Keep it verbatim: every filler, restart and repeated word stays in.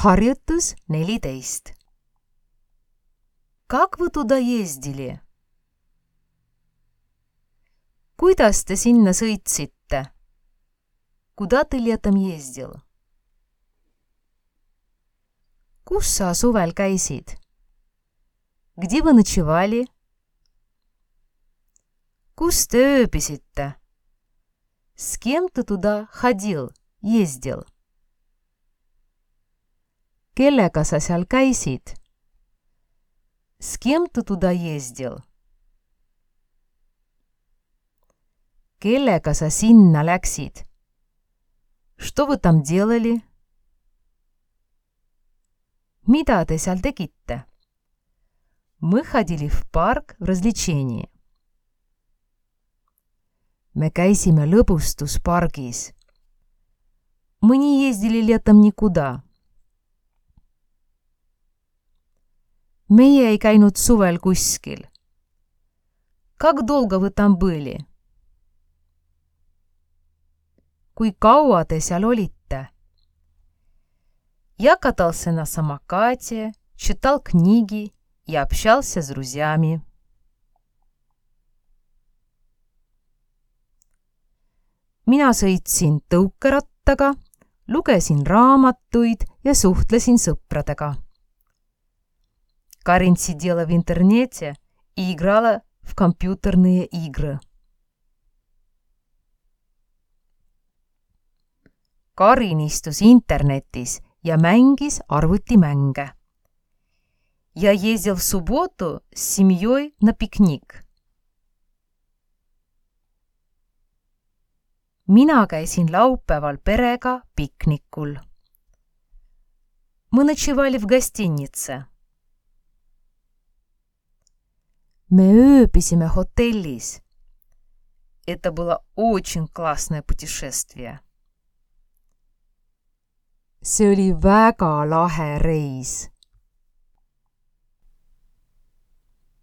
Harjutus neliteist. Как вы туда ездили? Kuidas te sinna sõitsite? Куда ты летом ездил? Kus sa suvel käisid? Где вы ночевали? Kus te ööbisite? С кем ты туда ходил, ездил? Kellega sa seal käisid? С кем ты туда ездил? Kellega sa sinna läksid? Что вы там делали? Mida te seal tegite? Мы ходили в парк в развлечении. Me käisime lõbustuspargis. Мы не ездили летом никуда. Meie ei käinud suvel kuskil. Как долго вы там были? Kui kaua te seal olite? Я катался на самокате, читал книги и общался с друзьями. Mina sõitsin tõukerattaga, lugesin raamatuid ja suhtlesin sõpradega. Karin сидела в интернете и играла в компьютерные игры. Karin istus internetis ja mängis arvutimänge. Я ездил в субботу с семьей на пикник. Mina käisin laupäeval perega piknikul. Мы ночевали в гостинице. Me ööbisime hotellis. Это было очень классное путешествие. See oli väga lahe reis.